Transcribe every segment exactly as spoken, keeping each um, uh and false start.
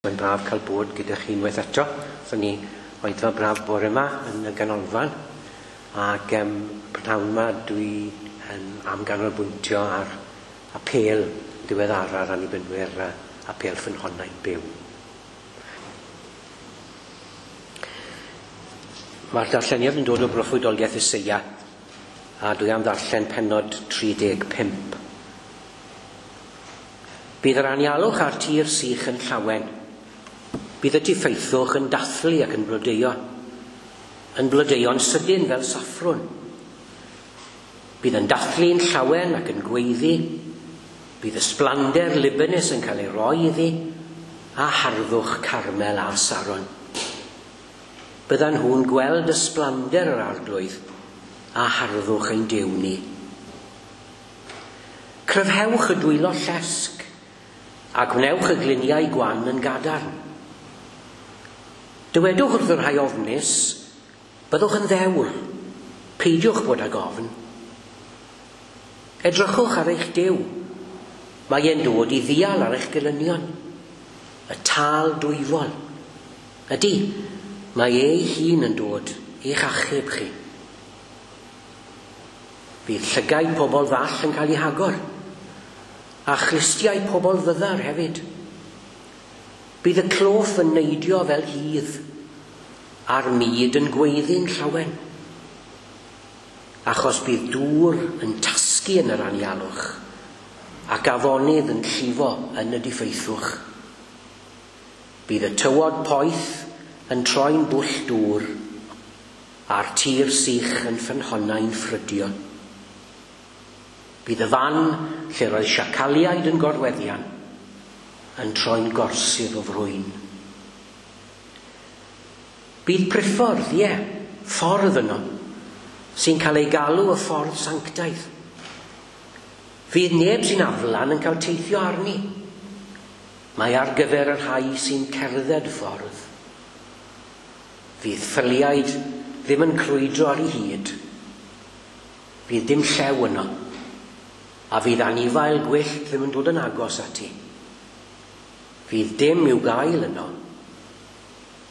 Mae'n braf cael bod gyda chi unwaith eto. So ni oedfa braf bore yma yn y ganolfan. Ac um, prynhawn yma dwi um, am ganolbwyntio ar apêl diweddara'r Annibynwyr, uh, apêl Ffynhonnau Byw. Mae'r darlleniad yn dod o broffwydoliaeth Eseia, a dwi am ddarllen pennod tri deg pump. Bydd yr anialwch a'r tir sych yn llawen. Bydd y diffeithwch yn dathlu ac yn blodeuo, yn blodeuo'n sydyn fel saffrwn. Bydd yn dathlu'n llawen ac yn gweiddi. Bydd ysblander Libanus yn cael ei roi iddi, a harddwch Carmel a Saron. Byddan nhw'n gweld ysblander yr Arglwydd a harddwch ein Duw ni. Cryfhewch y dwylo llesg a gwnewch y gliniau gwan yn gadarn. Dywedwch wrth y rhai ofnus, byddwch yn ddewr, peidiwch bod ag ofn. Edrychwch ar eich Duw, mae e'n dod i ddial ar eich gelynion, y tâl dwyfol. Ydy, mae ei hun yn dod i'ch achub chi. Bydd llygaid pobl ddall yn cael eu hagor, a chlustiau pobl fyddar hefyd. Bydd y cloff yn neidio fel hydd, a'r mud yn gweiddi'n llawen. Achos bydd dŵr yn tasgu yn yr anialwch, ac afonydd yn llifo yn y diffeithwch. Bydd y tywod poeth yn troi'n bwll dŵr, a'r tir sych yn ffynhonnau'n ffrydio. Bydd y fan lle roedd siacaliaid yn gorweddian yn troi'n gorsydd o frwyn. Bydd priffordd, ie, ffordd yno, sy'n cael ei galw y ffordd sanctaidd. Fydd neb sy'n aflan yn cael teithio arni. Mae ar gyfer y rhai sy'n cerdded ffordd. Fydd ffyliaid ddim yn crwydro ar ei hyd. Fydd dim llew yno, a fydd anifail gwyllt ddim yn dod yn agos ati. Fydd dim i'w gael yno,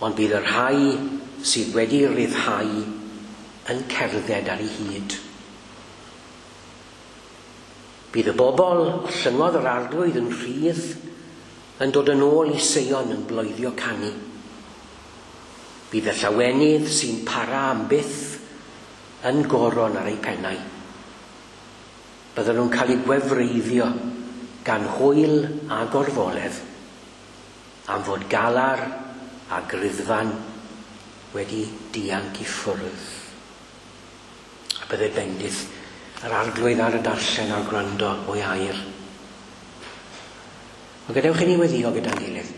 ond bydd y rhai sydd wedi ryddhau yn cerdded ar ei hyd. Bydd y bobl llyngodd yr Arglwydd yn rhydd yn dod yn ôl i Seion yn bloeddio canu. Bydd y llawenydd sy'n para am byth yn goron ar eu pennau. Bydden nhw'n cael eu gwefreiddio gan hwyl a gorfoledd am fod galar a griddfan wedi dianc i ffwrdd. A bydde bendith yr Arglwydd ar y darllen a'r gwrando o'i air. Ond gadewch i ni weddïo gyda'n gilydd.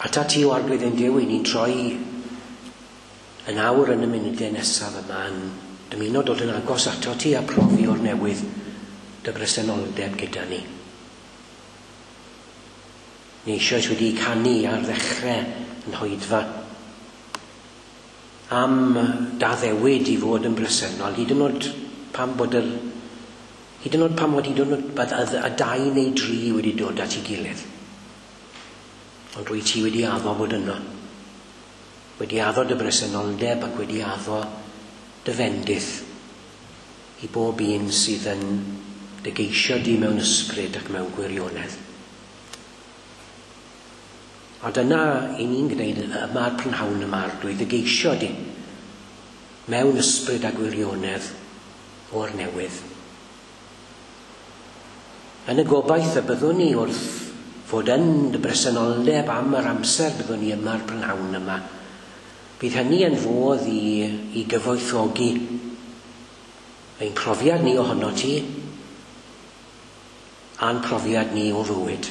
Ata ti o Arglwydd ein Duw, i ni'n troi yn awr yn y munudau nesaf yma yn dymuno dod yn agos ato ti a profi o'r newydd dy bresenoldeb gyda ni. Ni eisoes wedi canu ar ddechrau yn hoedfa am d'addewid i fod yn bresennol, hyd yn oed pam bod yr hyd yn oed pam bod hyd yn oed y dau neu dri wedi dod at ei gilydd. Ond rwy ti wedi addo bod yno, wedi addo dy bresenoldeb ac wedi addo dy fendith i bob un sydd yn dy geisio di mewn ysbryd ac mewn gwirionedd. A dyna i ni'n gwneud yma'r prynhawn yma, Arglwydd, dy geisio di mewn ysbryd a gwirionedd o'r newydd. Yn y gobaith y byddwn ni wrth fod yn dy bresenoldeb am yr amser byddwn ni yma'r prynhawn yma, bydd hynny yn fodd i, i gyfoethogi ein profiad ni ohono ti a'n profiad ni o fywyd.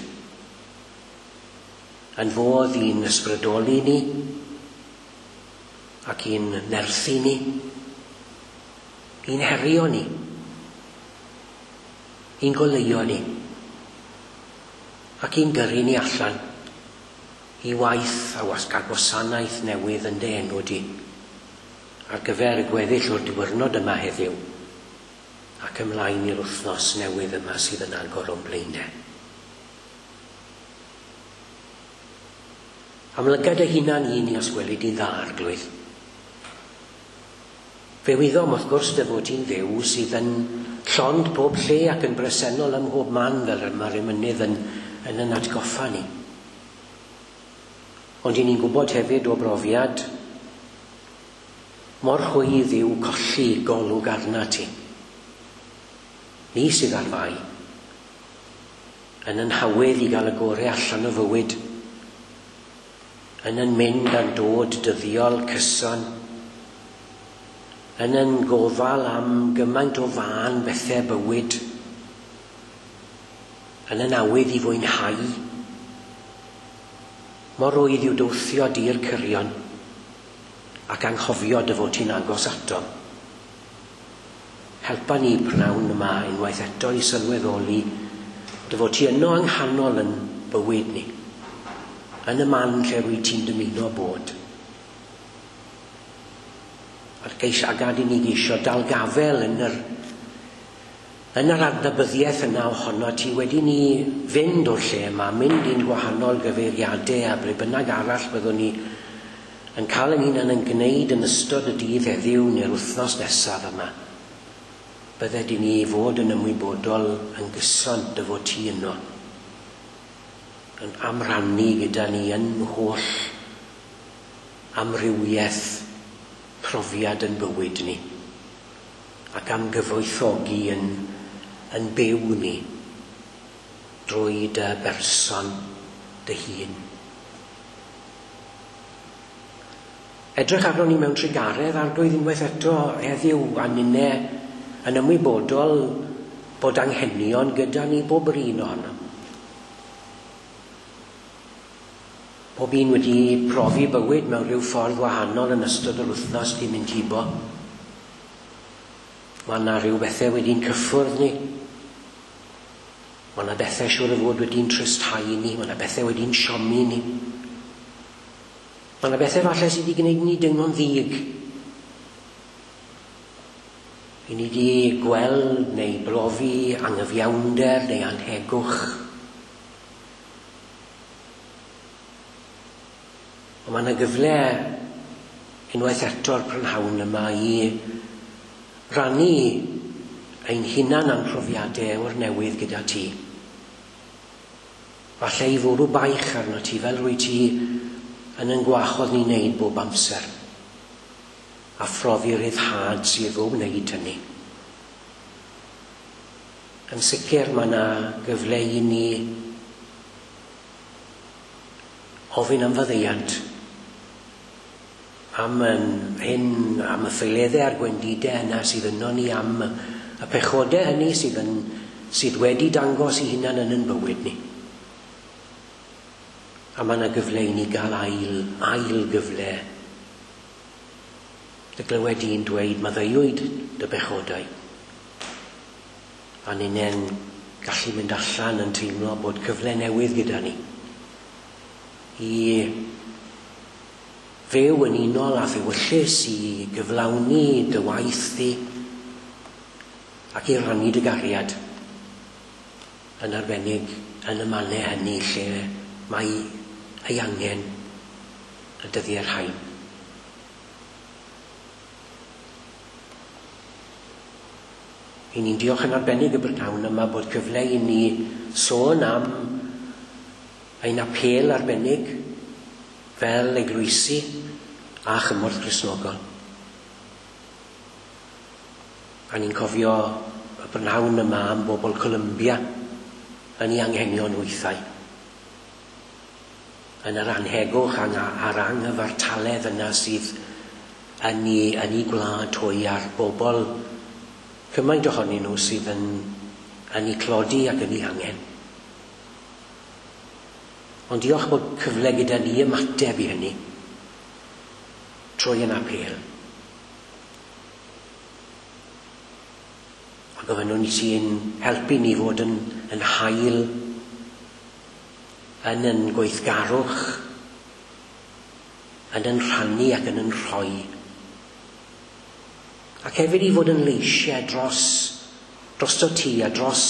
Yn fodd i'n ysbrydoli ni ac i'n nerthu ni, i'n herio ni, i'n goleuo ni ac i'n gyrru ni allan i waith a wasg a gwasanaeth newydd yn dy enw di ar gyfer y gweddill o'r diwrnod yma heddiw Ac ymlaen i'r wythnos newydd yma sydd yn agor o'n blaenau. Amlyga dy hunan i ni os gweli di'n dda, Arglwydd. Fe wyddom wrth gwrs dy fod ti'n Dduw sydd yn llond pob lle ac yn bresennol ym mhob man, fel mae'r emynydd yn, yn yn atgoffa ni. Ond i ni'n gwybod hefyd o brofiad mor rhwydd yw colli golwg arna ti. Ni sydd ar fai, yn yn hawydd i gael y gorau allan o fywyd, yn yn mynd a'n dod dyddiol cyson, yn yn gofal am gymaint o fân bethau bywyd, yn yn awydd i fwynhau. Mor rwydd yw dwthio di'r cyrion ac anghofio dy fod ti'n agos ato. Helpa ni pnawn yma unwaith eto i sylweddoli dy fod ti yno yng nghanol yn bywyd ni, yn y man lle rwy ti'n dymuno bod. A'r geis, a gad i ni geisio dal gafel yn yr, yn yr adnabyddiaeth yna ohono ti wedi ni fynd o'r lle yma, mynd i'n gwahanol gyfeiriadau a ble bynnag arall byddwn ni yn cael ein hunan yn gwneud yn ystod y dydd heddiw neu'r wythnos nesaf yma. Bydded i ni fod yn ymwybodol yn gyson dy fod ti yno, yn amrannu gyda ni yn holl amrywiaeth profiad yn bywyd ni, ac am gyfoethogi yn, yn byw ni drwy dy berson dy hun. Edrych arno ni mewn trugaredd, Arglwydd, unwaith eto heddiw a ninne yn ymwybodol bod anghenion gyda ni bob yr un ohonom. Pob un wedi profi bywyd mewn rhyw ffordd wahanol yn ystod yr wythnos di mynd hibo. Mae yna rhyw bethau wedi'n cyffwrdd ni. Mae yna bethau siŵr o fod wedi'n tristhau ni. Mae yna bethau wedi'n siomi ni. Mae yna bethau falle sydd wedi gwneud ni deimlo'n ddig. I ni wedi gweld neu brofi anghyfiawnder neu anhegwch. Ond mae yna gyfle unwaith eto'r prynhawn yma i rannu ein hunan am profiadau o'r newydd gyda ti. Falle i fwrw baich arno ti fel rwy ti yn yn gwachodd ni wneud bob amser, a phrofi ryddhad sydd o wneud hynny. Yn sicr mae yna gyfle i ni ofyn am faddeuant, am yn hyn, am y ffeileddau a'r gwendidau yna sydd yno ni, am y pechodau hynny sydd, yn, sydd wedi dangos i hunan yn yn bywyd ni. A mae yna gyfle i ni gael ail, ail gyfle. Dy glywed i'n dweud, maddeuwyd dy bechodau. A ninnen gallu mynd allan yn teimlo bod cyfle newydd gyda ni i fyw yn unol a thewyllys, i gyflawni dy waith di ac i rannu dy gariad, yn arbennig yn y mannau hynny lle mae ei angen y dyddiau rhain. I ni'n diolch yn arbennig y brynhawn yma bod cyfle i ni sôn am ein apêl arbennig fel eglwysi a chymorth Cristnogol. A ni'n cofio y brynhawn yma am bobl Columbia yn ei anghenion wythau, yn yr anhegwch a'r anghyfartaledd yna sydd yn ei, yn ei gwlad hwy, a'r bobl cymaint ohonyn nhw sydd yn, yn ei clodi ac yn ei angen. Ond diolch bod cyfle gyda ni ymateb i hynny trwy yn apêl. A gofynnwn ni sy'n helpu ni fod yn, yn hael, yn yn gweithgarwch, yn yn rhannu ac yn yn rhoi. Ac hefyd i fod yn leisiau dros drosto ti a dros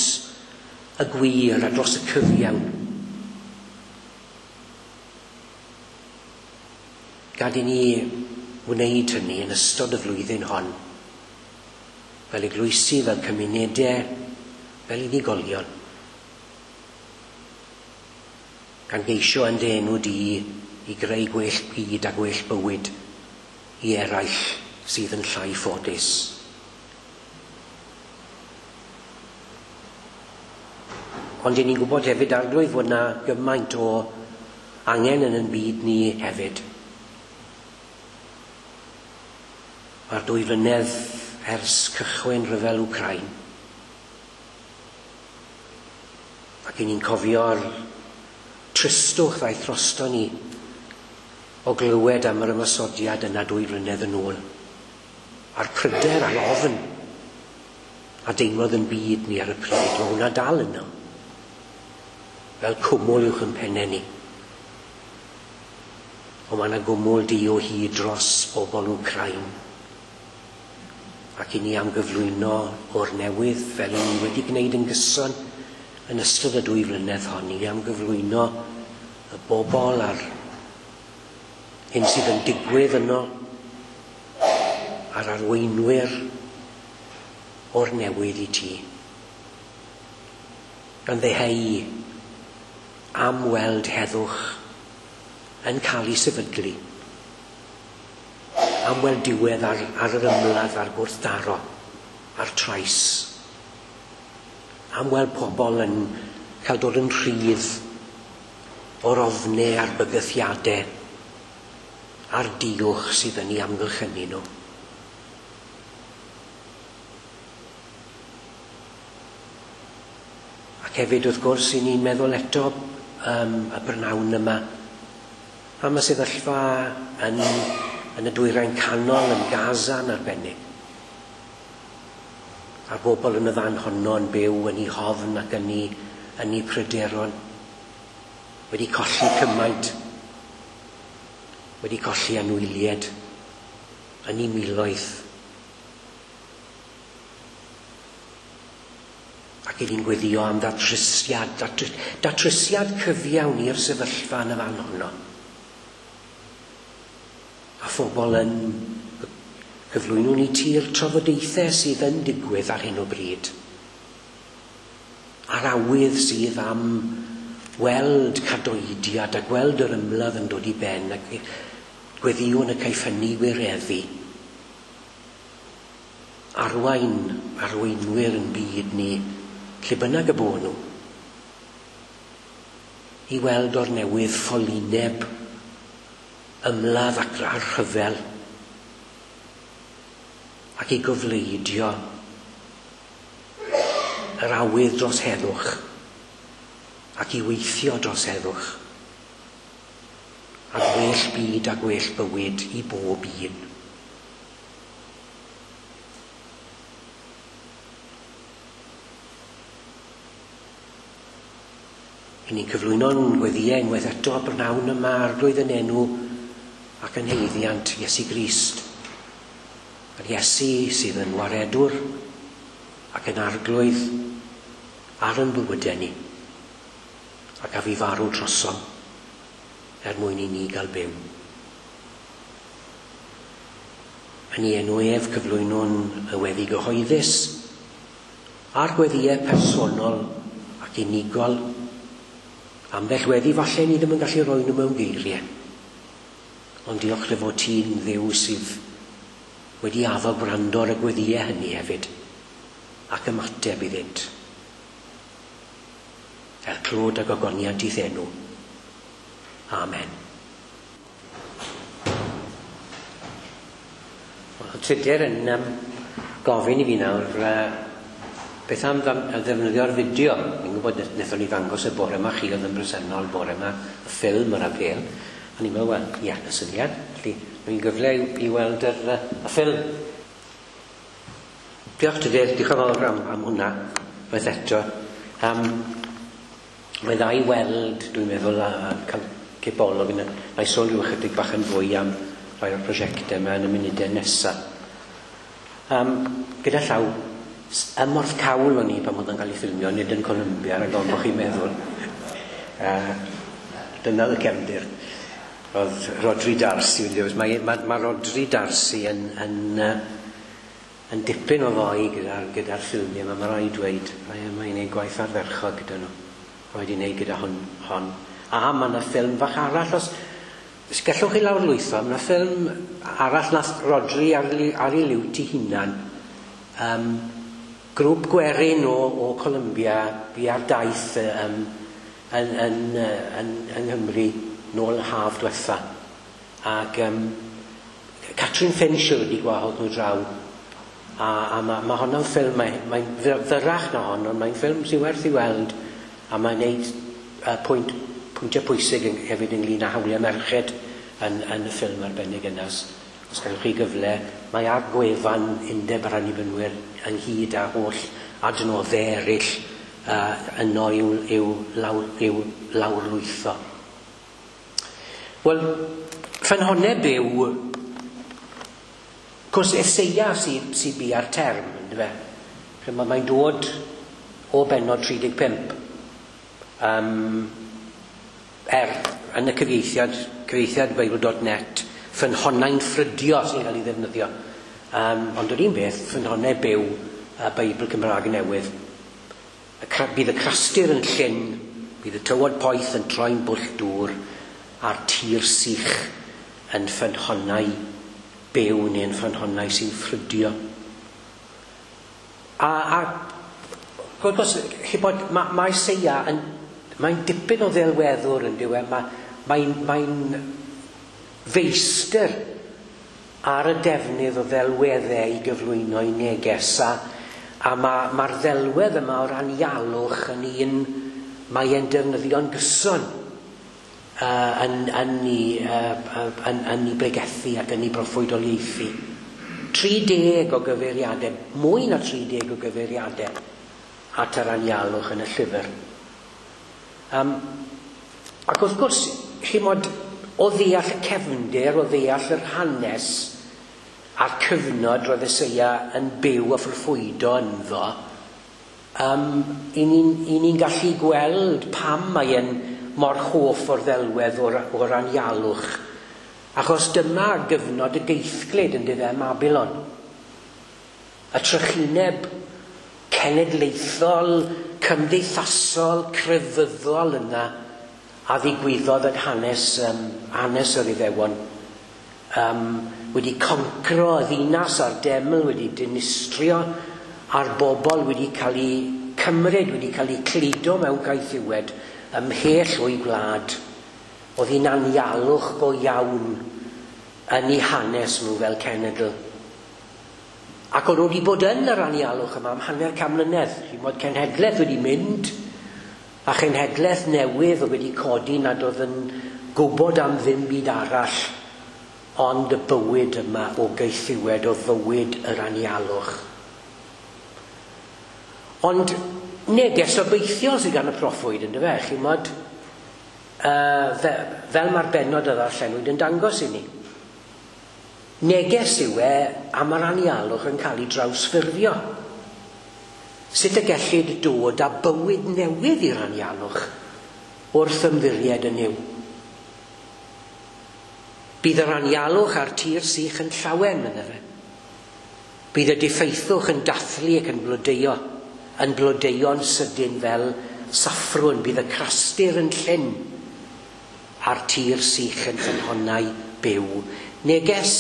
y gwir a dros y cyfiawn. Gad i ni wneud hynny yn ystod y flwyddyn hon, fel eglwysi, fel cymunedau, fel unigolion. Gan geisio yn dy enw di i greu gwell byd a gwell bywyd i eraill sydd yn llai ffodus. Ond 'yn ni'n gwybod hefyd, Arglwydd, fod 'na gymaint o angen yn ein byd ni hefyd. Mae'r dwy flynedd ers cychwyn rhyfel Wcráin. Ac 'yn ni'n cofio'r tristwch ddaeth drosto ni o glywed am yr ymosodiad yna dwy flynedd yn ôl. A'r pryder a'r ofn a deimlodd yn byd ni ar y pryd, mae hwnna dal yno. Fel cwmwl uwch yn pennau ni. Ond mae yna gwmwl du o hyd dros bobl Wcráin. Ac i ni am gyflwyno o'r newydd, fel i ni wedi gwneud yn gyson yn ystod y dwy flynedd hon, i ni am gyflwyno y bobl a'r hyn sydd yn digwydd yno, a'r arweinwyr o'r newydd i ti. Gan ddeheu am weld heddwch yn cael ei sefydlu, am weld diwedd ar, ar yr ymladd a'r gwrthdaro, a'r trais, am weld pobl yn cael dod yn rhydd o'r ofnau a'r bygythiadau a'r diwch sydd yn ei amgylchynu nhw. Ac hefyd, wrth gwrs, i ni'n meddwl eto um, y brynawn yma am y sefyllfa yn, yn y dwyrain canol, yn Gaza yn arbennig. A'r bobl yn y fan honno yn byw yn eu hofn ac yn eu, yn eu pryderon. Wedi colli cymaint, wedi colli anwyliaid yn eu miloedd. Ac i ni'n gweddio am ddatrysiad, datrysiad cyfiawn i'r sefyllfa yn y fan honno. A phobl yn cyflwyno ni ti'r trafodaethau sydd yn digwydd ar hyn o bryd. A'r awydd sydd am weld cadoediad a gweld yr ymladd yn dod i ben ac gweddiwn y caiff hynny wireddu. Arwain arweinwyr yn byd ni, lle bynnag y bo nhw, i weld o'r newydd ffolineb, ymladd ac a'r rhyfel, ac i gofleidio yr awydd dros heddwch, ac i weithio dros heddwch, a gwell byd a gwell bywyd i bob un. I ni'n cyflwyno'n gweddïau unwaith eto brynhawn yma, Arglwydd, yn enw ac yn haeddiant Iesu Grist. Yr Iesu sydd yn waredwr ac yn arglwydd ar yn bywydau ni, ac a fi farw drosom er mwyn i ni gael byw. Yn ei enw ef cyflwynwn y weddi gyhoeddus a'r gweddïau personol ac unigol. Ambell weddi falle ni ddim yn gallu rhoi nhw mewn geiriau. Ond diolch dy fod ti'n Dduw sydd wedi addo gwrando ar y gweddïau hynny hefyd ac ymateb iddynt. Er clod a gogoniant i'th enw. Amen. Wel, Tudur yn um, gofyn i fi nawr, uh, beth am ddefnyddio'r fideo? Fi'n gwybod wnaethon ni ddangos y bore yma, chi oedd yn bresennol bore yma, y ffilm yr apêl. A ni'n meddwl, wel, ia, y syniad. Felly, mae'n gyfle i, i weld yr, y ffilm. Diolch Tudur, diolch yn fawr am, am hwnna, waith eto. Um, mae dda i weld, dwi'n meddwl, a, a cael cipolwg. Na i sôn rhyw ychydig bach yn fwy am rai o'r prosiectau yma yn y munudau nesaf. Um, gyda llaw, Ym Mhorthcawl o'n i pan oedd yn cael ei ffilmio, nid yn Columbia, rhaid ofn bod chi'n meddwl. Uh, dyna oedd y cefndir. Oedd Rhodri Darcy wedi dewis. Mae, mae, mae Rhodri Darcy yn, yn, uh, yn dipyn o foi gyda'r gyda ffilmiau yma, mae rhaid dweud. Mae'n mae gwneud gwaith ardderchog gyda nhw. Mae wedi gwneud gyda hwn. hon. A mae yna ffilm fach arall, os, os gallwch chi lawrlwytho, mae yna ffilm arall nath Rhodri ar, ar ei liwt ei hunan. Um, grŵp gwerin o, o Columbia bu ar daith um, yn, yn, yn, yng Nghymru nôl haf diwetha. Ac um, Catrin Finch oedd wedi gwahodd nhw draw. A, a mae ma honno'n ffilm, mae'n mae fyrrach na hon, ond mae'n ffilm sy'n werth i weld, a mae'n neud uh, pwynt, pwyntiau pwysig yn, hefyd ynglyn â hawliau merched yn, yn y ffilm arbennig yna. Os gallwch chi gyfle, mae ar gwefan Undeb yr Annibynwyr ynghyd â holl adnoddau eraill uh, yno i'w, i'w, lawr, i'w lawrlwytho. Wel, ffynhonnau byw, cwrs Eseia sy'n sy bu ar term, yndyfe? Mae'n dod o bennod tri deg pump. Um, er, yn y cyfieithiad, cyfieithiad Bible dot net, ffynhonnau'n ffrydio sy'n cael ei ddefnyddio. Um, ond yr un beth, ffynhonnau byw y Beibl Cymraeg Newydd. Y bydd y crastir yn llyn, bydd y tywod poeth yn troi'n bwll dŵr, a'r tir sych yn ffynhonnau byw neu'n ffynhonnau sy'n ffrydio. A, a wrth gwrs, chi bod, mae, mae Eseia yn, mae'n dipyn o ddelweddwr yn dyw e, mae, mae'n, mae'n feistr ar y defnydd o ddelweddau i gyflwyno i neges, a, a mae'r ma ddelwedd yma o'r anialwch yn un mae e'n defnyddio'n gyson uh, yn, yn, i, uh, yn, yn i bregethu ac yn ei broffwydoliaethu. tri deg o gyfeiriadau, mwy na tri deg o gyfeiriadau at yr anialwch yn y llyfr. Um, ac wrth gwrs, chimod, o ddeall y cefndir, o ddeall yr hanes a'r cyfnod roedd Eseia yn byw a ffrwydo ynddo, um, i ni'n ni gallu gweld pam mae e'n mor hoff o'r ddelwedd o'r, o'r anialwch. Achos dyma gyfnod y geithglyd yn dyfe Babylon. Y trychineb cenedlaethol, cymdeithasol, crefyddol yna a ddigwyddodd yn hanes, um, hanes yr Iddewon. Um, wedi concro y ddinas a'r deml, wedi dinistrio, a'r bobl wedi cael eu cymryd, wedi cael eu cludo mewn caethiwed ymhell o'i gwlad. Oedd hi'n anialwch go iawn yn eu hanes nhw fel cenedl. Ac o'n nhw wedi bod yn yr anialwch yma am hanner can mlynedd. Chimod, cenhedlaeth wedi mynd, a chenhedlaeth newydd oedd wedi codi nad oedd yn gwybod am ddim byd arall ond y bywyd yma o gaethiwed, o fywyd yr anialwch. Ond neges obeithiol sydd gan y proffwyd, yndyfe, chimod, uh, fe, fel mae'r bennod a ddarllenwyd yn dangos i ni. Neges yw e am yr anialwch yn cael ei drawsffurfio. Sut y gellid dod â bywyd newydd i'r anialwch wrth ymddiried yn Nuw. Bydd yr anialwch a'r tir sych yn llawen, medde fe. Bydd y diffeithwch yn dathlu ac yn blodeuo, yn blodeuo'n sydyn fel saffrwn. Bydd y crastir yn llyn a'r tir sych yn ffynhonnau byw. Neges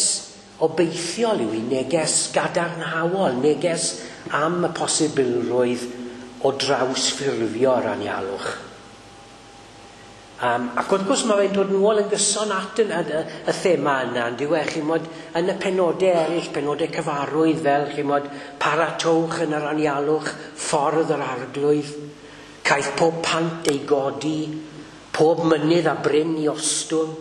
obeithiol yw hi, neges gadarnhaol, neges am y posibilrwydd o drawsffurfio'r anialwch. Um, ac wrth gwrs mae fe'n dod nôl yn gyson at y, y, y thema yna, yn dyw e, chimod, yn y penodau eraill, penodau cyfarwydd fel, chimod, paratowch yn yr anialwch, ffordd yr arglwydd, caiff pob pant ei godi, pob mynydd a bryn i ostwng,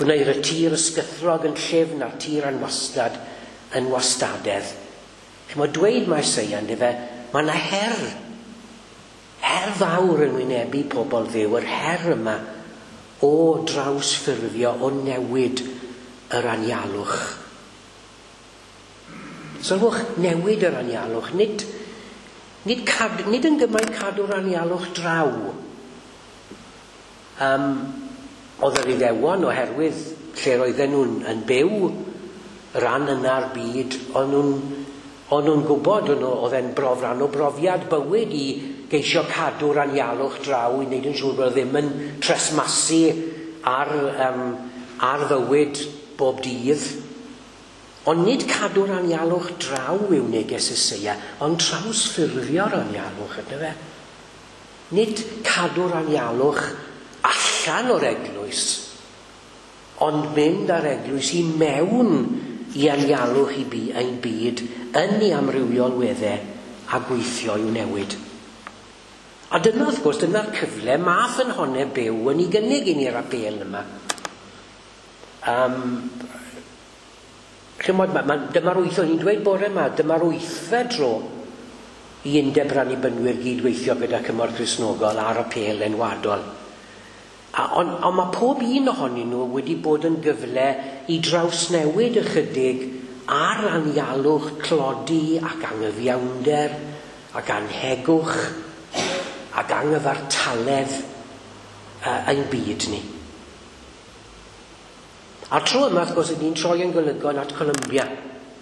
gwneir y tir ysgythrog yn llyfn a'r tir anwastad yn wastadedd. Chimod, dweud mae Eseia, yndyfe, mae yna her, her fawr yn wynebu pobl Dduw, yr her yma o drawsffurfio, o newid yr anialwch. Sylwch, newid yr anialwch, nid, nid, cad, nid yn gymaint cadw'r anialwch draw. Um, oedd yr Iddewon, oherwydd lle roedden nhw'n yn byw, ran yna'r byd, o'n nhw'n o'n nhw'n gwybod, oedd e'n brof, rhan o brofiad bywyd i geisio cadw'r anialwch draw, i wneud yn siŵr bod o ddim yn tresmasu ar, um, ar fywyd bob dydd. Ond nid cadw'r anialwch draw yw neges Eseia, ond trawsffurfio'r anialwch, ydy fe? Nid cadw'r anialwch allan o'r eglwys, ond mynd â'r eglwys i mewn i anialwch i bu, ein byd yn ei amrywiol weddau a gweithio i'w newid. A dyna, wrth gwrs, dyna'r cyfle mae ffynhonnau byw yn ei gynnig i ni'r apêl yma. Um, chymod, ma, ma, dyma'r wyth, o'n i'n dweud bore yma, dyma'r wythfed tro i Undeb yr Annibynwyr gydweithio gyda Cymorth Cristnogol ar apêl enwadol. A, ond, ond mae pob un ohonyn nhw wedi bod yn gyfle i drawsnewid ychydig ar anialwch tlodi ac anghyfiawnder ac anhegwch ac anghyfartaledd uh, ein byd ni. A'r tro yma, wrth gwrs, ni'n troi yn golygon at Colombia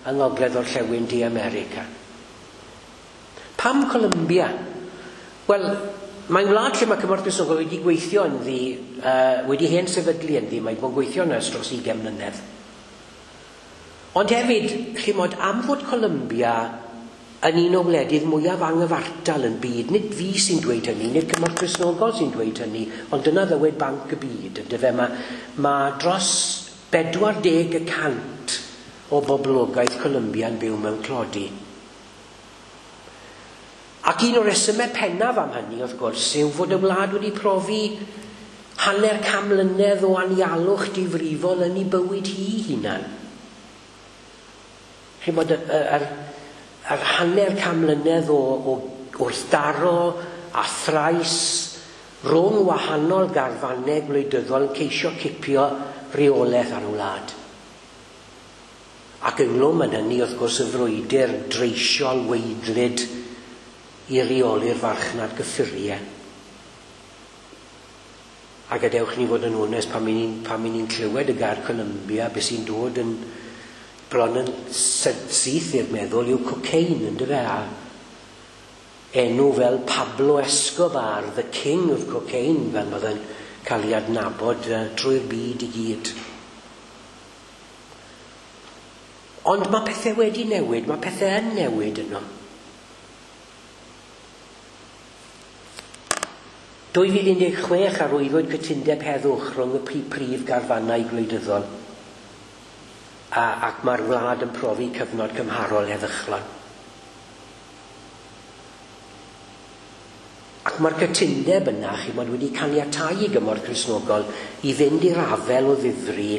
yng Ngogledd Orllewin De America. Pam Colombia? Wel, mae'n wlad lle mae Cymorth Cristnogol wedi gweithio ynddi, uh, wedi hen sefydlu ynddi, mae'n bod yn gweithio yna ers dros ugain mlynedd. Ond hefyd, chimod, am fod Colombia yn un o wledydd mwyaf anghyfartal yn byd, nid fi sy'n dweud hynny, nid Cymorth Cristnogol sy'n dweud hynny, ond dyna ddywed Banc y Byd, yndyfe, mae, mae dros bedwar deg y cant o boblogaeth Colombia yn byw mewn tlodi. Ac un o'r resymau pennaf am hynny, wrth gwrs, yw fod y wlad wedi profi hanner can mlynedd o anialwch difrifol yn ei bywyd hi hunan. Chimod, yr, yr, yr hanner can mlynedd o, o wrthdaro a thrais rhwng wahanol garfannau gwleidyddol yn ceisio cipio reolaeth ar y wlad. Ac ynglwm yn hynny, wrth gwrs, y frwydr dreisiol weidlyd i reoli'r farchnad gyffuriau. A gadewch ni fod yn onest, pan ni'n pan ni'n clywed y gair Colombia, beth sy'n dod yn bron yn syth i'r meddwl yw cocaine, yndyfe? A enw fel Pablo Escobar, the king of cocaine, fel oedd yn cael ei adnabod uh, trwy'r byd i gyd. Ond mae pethau wedi newid, mae pethau yn newid yno. dwy fil un deg chwech arwyddwyd cytundeb heddwch rhwng y prif garfannau gwleidyddol, a, ac mae'r wlad yn profi cyfnod cymharol heddychlon. Ac mae'r cytundeb yna, chimod, wedi caniatáu i Gymorth Cristnogol i fynd i'r afel o ddifri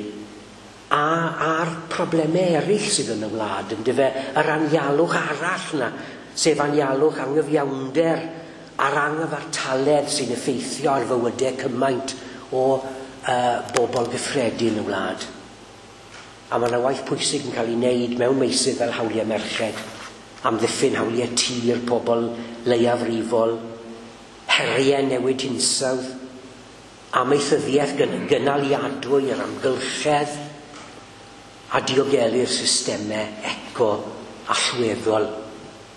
a, a'r problemau eraill sydd yn y wlad, yndyfe, yr anialwch arall yna, sef anialwch anghyfiawnder a'r anghyfartaledd sy'n effeithio ar fywydau cymaint o uh, bobl gyffredin y wlad. A mae yna waith pwysig yn cael ei wneud mewn meysydd fel hawliau merched, amddiffyn hawliau tir pobl leiafrifol, heriau newid hinsawdd, amaethyddiaeth gynaliadwy yr amgylchedd, a diogelu'r systemau eco allweddol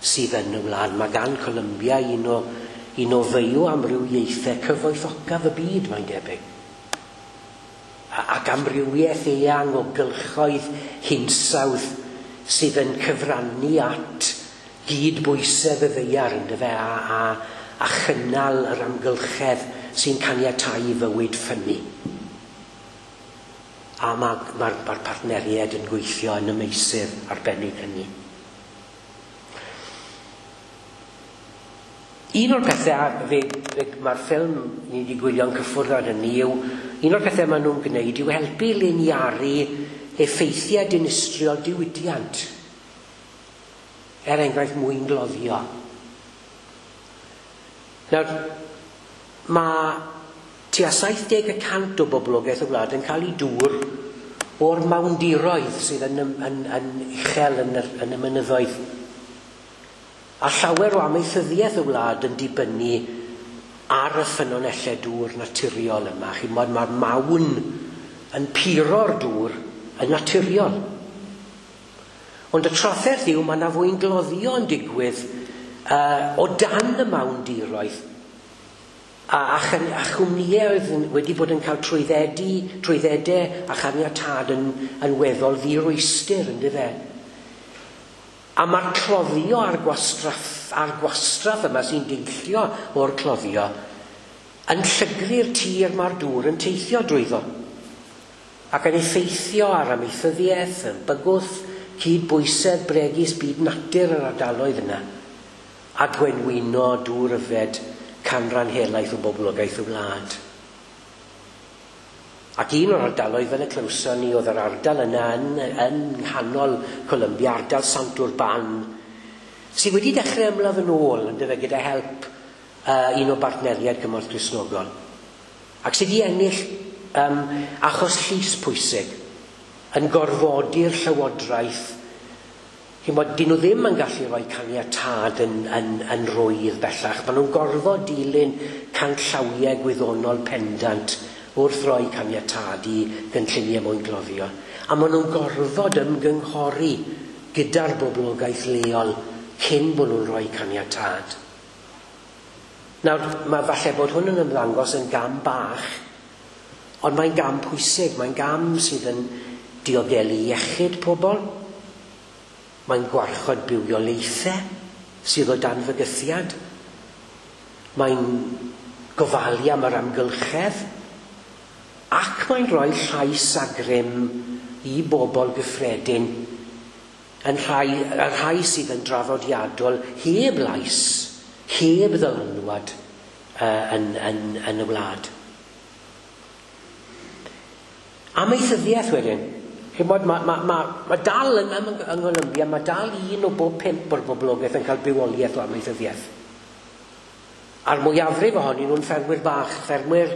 sydd yn y wlad. Mae gan Colombia un o, un o fyw amrywiaethau cyfoethocaf y byd, mae'n debyg. Ac amrywiaeth eang o gylchoedd hinsawdd sydd yn cyfrannu at gydbwysedd y ddaear, yndyfe, a, a, a chynnal yr amgylchedd sy'n caniatáu i fywyd ffynnu. A mae'r ma, ma, ma partneriaid yn gweithio yn y meysydd arbennig hynny. Un o'r pethau, fe, fe, mae'r ffilm ni wedi gwylio'n cyffwrdd ar hynny yw, un o'r pethau maen nhw'n gwneud yw helpu liniaru effeithiau dinistriol diwydiant. Er enghraifft mwyngloddio. Nawr, mae tua saith deg y cant o boblogaeth y wlad yn cael ei dŵr o'r mawndiroedd sydd yn, yn, yn uchel yn y, yn y mynyddoedd. A llawer o amaethyddiaeth y wlad yn dibynnu ar y ffynonellau dŵr naturiol yma. Chimod, mae'r mawn yn puro'r dŵr yn naturiol. Ond y trafferth yw mae yna fwyngloddio yn digwydd uh, o dan y mawndiroedd. A, a, a chwmnïau oedd wedi bod yn cael trwyddedu, trwyddedau a chaniatâd yn, yn weddol ddirwystr, yndyfe. A mae'r cloddio a'r gwastraff, a'r gwastraff yma sy'n deillio o'r cloddio yn llygru'r tir mae'r dŵr yn teithio drwyddo. Ac yn effeithio ar amaethyddiaeth, yn bygwth cydbwysedd bregus byd natur yr ardaloedd yna, a gwenwyno dŵr yfed canran helaeth o boblogaeth y wlad. Ac un o'r ardaloedd fel y clywson ni oedd yr ardal yna yn, yn nghanol Colombia, ardal Sant Urban, sydd wedi dechrau ymladd yn ôl, yndyfe, gyda help uh, un o bartneriaid Cymorth Cristnogol. Ac sydd wedi ennill um, achos llys pwysig yn gorfodi'r llywodraeth. Chimod, dyn nhw ddim yn gallu rhoi caniatâd yn, yn, yn rwydd bellach. Maen nhw'n gorfod dilyn canllawiau gwyddonol pendant wrth roi caniatâd i gynlluniau mwyngloddio. A maen nhw'n gorfod ymgynghori gyda'r boblogaeth leol cyn bod nhw'n rhoi caniatâd. Nawr, mae falle bod hwn yn ymddangos yn gam bach, ond mae'n gam pwysig, mae'n gam sydd yn diogelu iechyd pobl, mae'n gwarchod bywiolaethau sydd o dan fygythiad, mae'n gofalu am yr amgylchedd, ac mae'n rhoi llais a grym i bobl gyffredin, yn rhai, y rhai sydd yn draddodiadol heb lais, heb ddylanwad uh, yn, yn, yn y wlad. Amaethyddiaeth wedyn. Chimod, mae ma, ma, ma dal yn, yng Ngholombia, mae dal un o bob pump o'r boblogaeth yn cael bywoliaeth o amaethyddiaeth. A'r mwyafrif ohonyn nhw'n ffermwyr bach, ffermwyr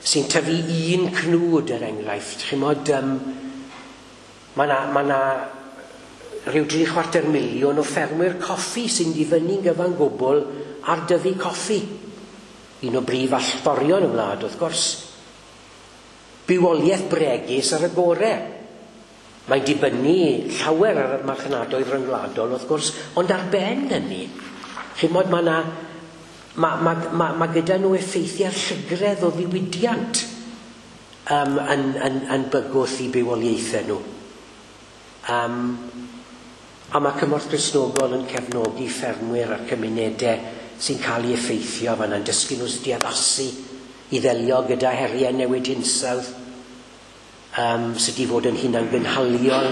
sy'n tyfu un cnwd er enghraifft. Chimod, um, mae na, ma na rhyw dri chwarter miliwn o ffermwyr coffi sy'n difynnu'n gyfan gwbl ar dyfu coffi. Un o brif allforion y wlad, wrth gwrs. Bywoliaeth bregus ar y gore. Mae'n dibynnu llawer ar y marchnadoedd rhyngwladol, wrth gwrs, ond ar ben hynny, chimod, mae na, ma, ma, ma, ma gyda nhw effeithiau llygredd o ddiwydiant um, yn, yn, yn bygwth i bywoliaethau nhw. Um, a mae Cymorth Cristnogol yn cefnogi ffermwyr a'r cymunedau sy'n cael ei effeithio fan yna'n dysgu nhw sut i addasu i ddelio gyda heriau newid hinsawdd, um, sut i fod yn hunangynhaliol,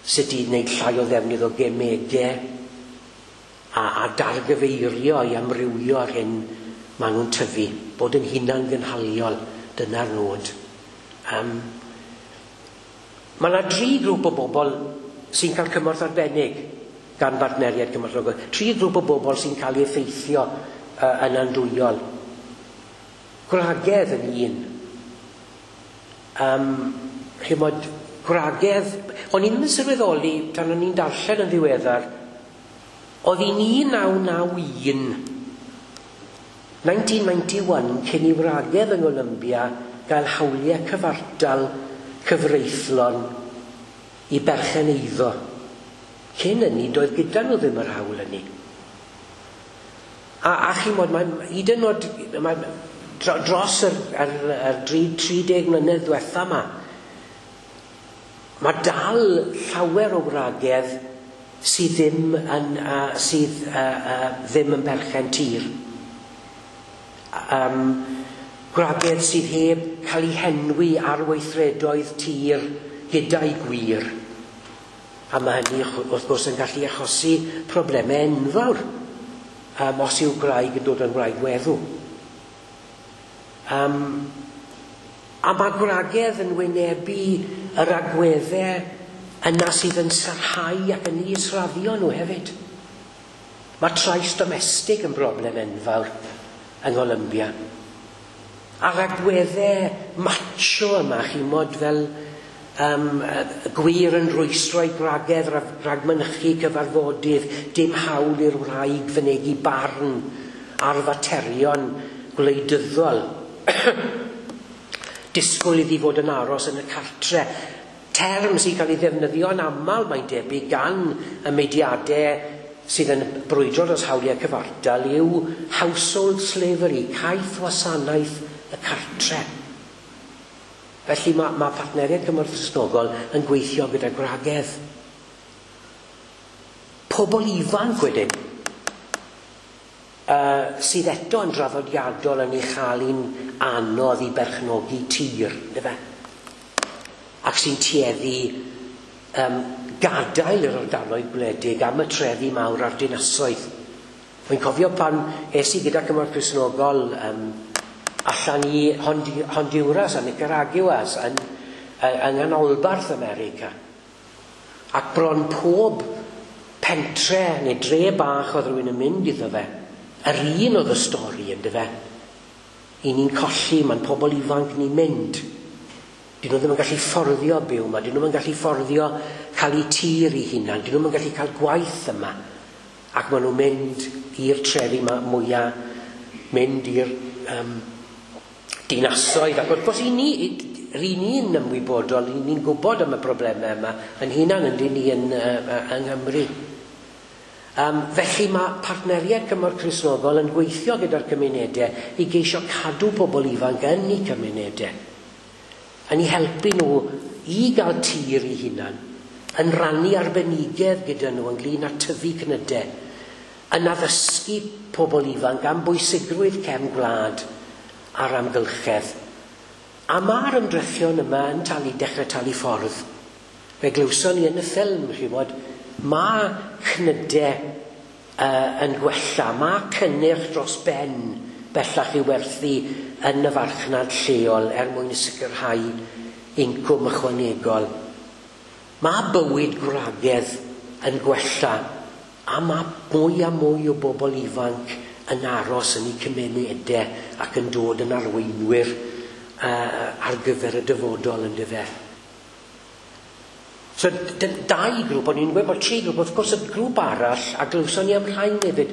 sut i wneud llai o ddefnydd o gemegau, a, a dargyfeirio i amrywio ar hyn maen nhw'n tyfu, bod yn hunangynhaliol, dyna'r nod. Um, mae yna dri grŵp o bobl sy'n cael cymorth arbennig gan bartneriaid Cymorth Cristnogol. Tri grŵp o bobl sy'n cael ei effeithio uh, yn andwyol. Gwragedd yn un. Um, chimod, gwragedd, o'n i'n yn sylweddoli tan o'n i'n darllen yn ddiweddar, oedd hi'n un naw naw un, nineteen ninety-one, cyn i wragedd yng Ngholombia gael hawliau cyfartal cyfreithlon i berchen eiddo. Cyn hynny, doedd gyda nhw ddim yr hawl hynny. A, a chimod, mae, hyd yn oed, mae, dros yr, yr, yr tri deg mlynedd diwetha yma, mae dal llawer o wragedd sydd ddim yn, uh, sydd, uh, uh, ddim yn berchen tir. Um, gwragedd sydd heb cael eu henwi ar weithredoedd tir gyda'i gwir. A mae hynny wrth gwrs yn gallu achosi problemau enfawr um, os yw gwraig yn dod yn wraig weddw. Um, a mae gwragedd yn wynebu yr agweddau yna sydd yn sarhau ac yn israddio nhw hefyd. Mae trais domestig yn broblem enfawr yng Ngholombia. A'r agweddau macho yma, chimod, fel Um, gwir yn rwystro i gwragedd rhag mynychu cyfarfodydd, dim hawl i'r wraig fynegi barn ar faterion gwleidyddol. Disgwyl iddi fod yn aros yn y cartre. Term sy'n cael ei ddefnyddio'n aml, mae'n debyg, gan y mudiadau sydd yn brwydro dros hawliau cyfartal yw household slavery, caeth wasanaeth y cartre. Felly mae, mae partneriaid Cymorth Cristnogol yn gweithio gyda gwragedd. Pobl ifanc wedyn, uh, sydd eto yn draddodiadol yn ei chael hi'n anodd i berchnogi tir, yndyfe? Ac sy'n tueddu um, gadael yr ardaloedd gwledig am y trefi mawr a'r dinasoedd. Wy'n cofio pan es i gyda Cymorth Cristnogol um, allan i Honduras a Nicaragua yn, yng nghanolbarth America. Ac bron pob pentre neu dre bach oedd rhywun yn mynd iddo fe, yr un oedd y stori yndyfe. I ni'n colli, mae'n pobl ifanc ni'n mynd. Dyn nhw ddim yn gallu fforddio byw yma, dyn nhw ddim yn gallu fforddio cael eu tir eu hunan, dyn nhw ddim yn gallu cael gwaith yma. Ac maen nhw'n mynd i'r trefi mwyaf, mynd i'r um, dinasoedd. Ac wrth gwrs, i ni, ry'n ni'n ymwybodol, ry'n ni'n gwybod am y problemau yma, yn hunan yn dyn ni yn, uh, yng Nghymru. Um, felly mae partneriaid Cymorth Cristnogol yn gweithio gyda'r cymunedau i geisio cadw pobl ifanc yn eu cymunedau, yn eu helpu nhw i gael tir eu hunan, yn rannu arbenigedd gyda nhw ynglyn â tyfu cnydau, yn addysgu pobl ifanc am bwysigrwydd cefn gwlad a'r amgylchedd. A mae'r ymdrechion yma yn talu, dechrau talu ffordd. Fe glywson ni yn y ffilm, chi'n gwybod, mae cnydau uh, yn gwella, mae cynnyrch dros ben bellach i werthu yn y farchnad lleol er mwyn sicrhau incwm ychwanegol. Mae bywyd gwragedd yn gwella a mae mwy a mwy o bobl ifanc yn aros yn eu cymunedau ac yn dod yn arweinwyr uh, ar gyfer y dyfodol yndyfe. So, dau grŵp, o'n i'n gweud bod tri grŵp, wrth gwrs y grŵp arall, a glywson ni am rhain hefyd,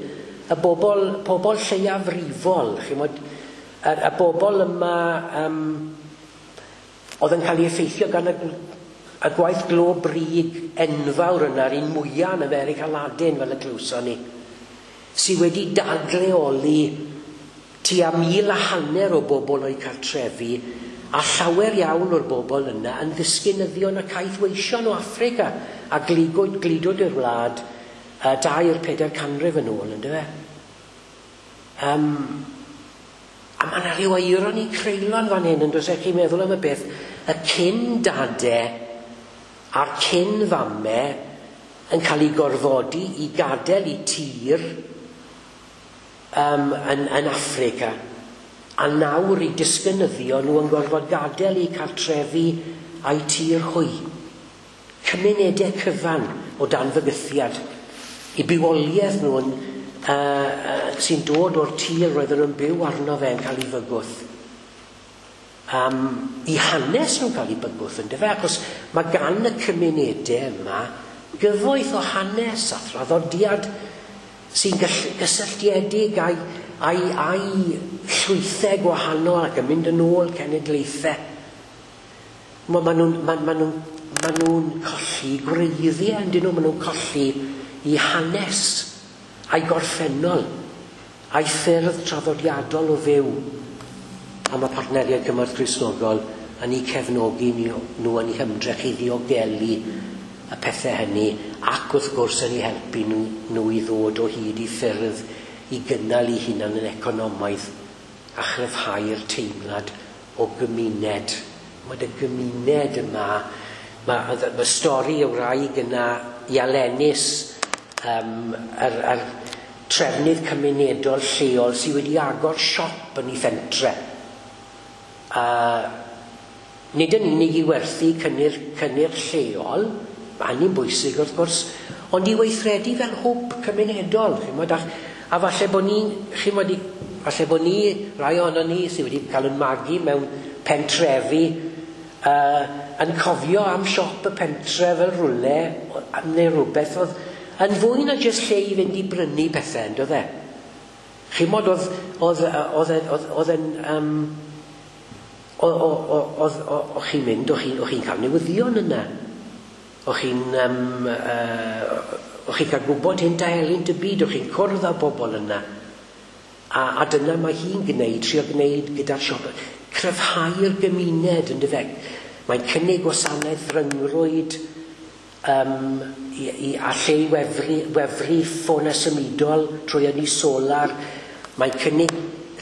y bobl, pobl lleiafrifol, chi'mod, y, y bobl yma um, oedd yn cael ei effeithio gan y, y gwaith glo brig enfawr yna, yr un mwyaf yn America Ladin, fel y glywson ni, sydd wedi dadleoli tua mil a hanner o bobl o'u cartrefi, a llawer iawn o'r bobl yna yn ddisgynyddion y caethweision o Affrica a gludwyd gludwyd i'r wlad uh, dair pedair canrif yn ôl, yndyfe? Um, a mae yna rhyw eironi creulon fan hyn, yn does e? Chi'n meddwl am y beth, y cyn dade a'r cyn famau yn cael eu gorfodi i gadael eu tir um, yn, yn Affrica, a nawr i disgynyddio nhw yn gorfod gadael eu cartrefi a'u tir hwy. Cymunedau cyfan o dan fygythiad. Eu bywoliaeth nhw yn, uh, uh, sy'n dod o'r tir roedden nhw'n byw arno fe yn cael ei fygwth. Um, eu hanes nhw'n cael ei bygwth, yndyfe? Achos mae gan y cymunedau yma gyfoeth o hanes a thraddodiad sy'n gysylltiedig â'i a'i, a'i llwythau gwahanol ac yn mynd yn ôl cenedlaethau. Ma, ma nhw'n ma, ma nhw, ma nhw colli gwreiddiau, yndyn nhw, ma nhw'n colli eu hanes a'i gorffennol, a'i ffyrdd traddodiadol o fyw. A mae partneriaid Cymorth Cristnogol yn eu cefnogi nhw yn eu hymdrech i ddiogelu y pethau hynny, ac wrth gwrs yn eu helpu nhw, nhw i ddod o hyd i ffyrdd i gynnal eu hunan yn economaidd a chryfhau'r teimlad o gymuned. Mae y gymuned yma, mae, mae stori y wraig yna i Alenis, um, yr, yr trefnydd cymunedol lleol sydd wedi agor siop yn ei phentre. Uh, nid yn unig i werthu cynnyrch, cynnyrch lleol, mae hynny'n bwysig wrth gwrs, ond i weithredu fel hwb cymunedol. Chimod, a, a falle bod ni'n, chimod, falle bod ni, rai ohonon ni sydd wedi cael yn magu mewn pentrefi, uh, yn cofio am siop y pentre fel rwle neu rhywbeth oedd yn fwy na jyst lle i fynd i brynu pethau, on'd oedd e? Chimod, oedd oedd oedd oedd oedd yn um, oedd o'ch chi'n mynd, o'ch chi'n chi'n cael newyddion yna. O'ch chi'n um, uh, o'ch chi'n cael gwybod hyn da helynt y byd, o'ch chi'n cwrdd â bobl yna. A, a dyna mae hi'n gwneud, trio gwneud gyda'r siop, cryfhau'r gymuned, yn dyfe. Mae'n cynnig gwasanaeth ryngrwyd um, i, i, a lle i wefru, wefru ffonau symudol trwy ynni solar. Mae'n cynnig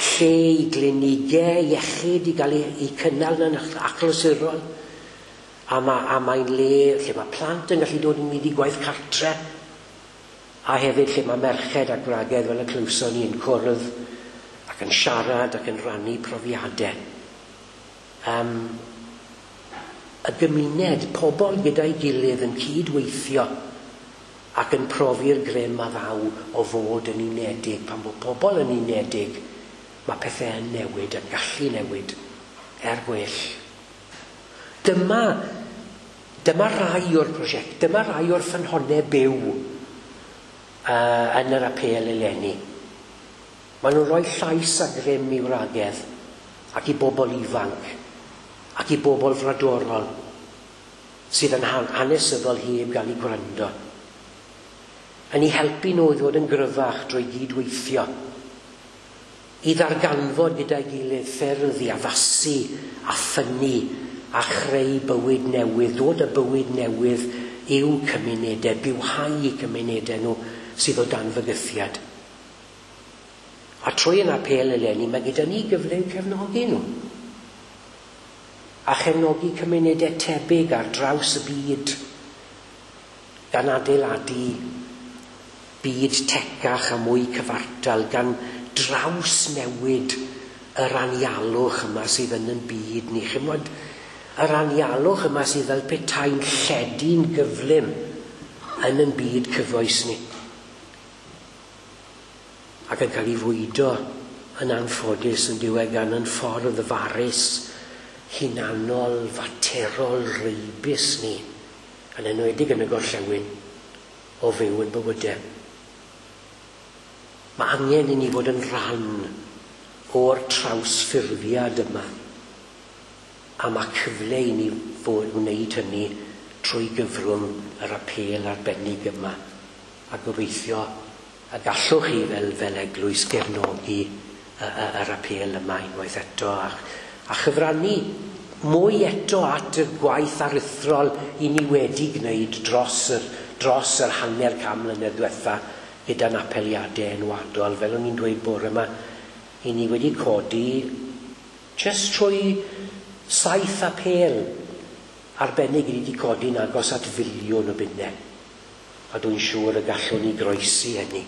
lle i glinigau iechyd i gael ei, ei cynnal yn achlysurol. A, ma, a mae'n le lle mae plant yn gallu dod yn mynd i gwaith cartre. A hefyd lle mae merched a gwragedd fel y clywson ni yn cwrdd ac yn siarad ac yn rhannu profiadau. Um, y gymuned, pobl gyda'i gilydd yn cydweithio ac yn profi'r grym a ddaw o fod yn unedig. Pan bod pobl yn unedig, mae pethau yn newid, yn gallu newid, er gwell. Dyma, dyma rai o'r prosiect, dyma rai o'r ffynhonnau byw uh, yn yr apêl eleni. Maen nhw'n rhoi llais a grym i wragedd ac i bobl ifanc ac i bobl fradorol sydd yn hanesyddol heb gael eu gwrando. Yn eu helpu nhw i ddod yn gryfach drwy gydweithio, i ddarganfod gyda'i gilydd ffyrdd i addasu a ffynnu a chreu bywyd newydd, dod â bywyd newydd i'w cymunedau, bywhau eu cymunedau nhw sydd o dan fygythiad. A trwy yn apêl eleni, mae gyda ni gyfle i'w cefnogi nhw. A chefnogi cymunedau tebyg ar draws y byd, gan adeiladu byd tecach a mwy cyfartal, gan drawsnewid yr anialwch yma sydd yn yn byd ni. Chimod, yr anialwch yma sydd fel petai'n lledu'n gyflym yn yn byd cyfoes ni. Ac yn cael ei fwydo yn anffodus yn diwedd gan yn ffordd farus, hunanol, faterol, reibus ni, yn enwedig yn y gorllewin, o fyw yn bywydau. Mae angen i ni fod yn rhan o'r trawsffurfiad yma. A mae cyfle i ni fod wneud hynny trwy gyfrwng yr apêl arbennig yma. A gobeithio y gallwch chi fel, fel eglwys gefnogi yr apêl yma unwaith eto a, a chyfrannu mwy eto at y gwaith aruthrol i ni wedi gwneud dros yr, dros yr hanner can mlynedd diwetha gyda'n apeliadau enwadol. Fel o'n i'n dweud bore yma, i ni wedi codi jyst trwy saith apêl arbennig i ni wedi codi'n agos at filiwn o bunnau. A dwi'n siŵr y gallwn ni groesi hynny.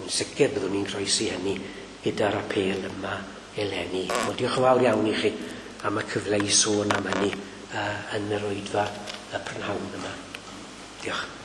Yn sicr byddwn ni'n croesi hynny gyda'r apêl yma eleni. Wel, diolch yn fawr iawn i chi am y cyfle i sôn am hynny uh, yn yr oedfa y prynhawn yma. Diolch.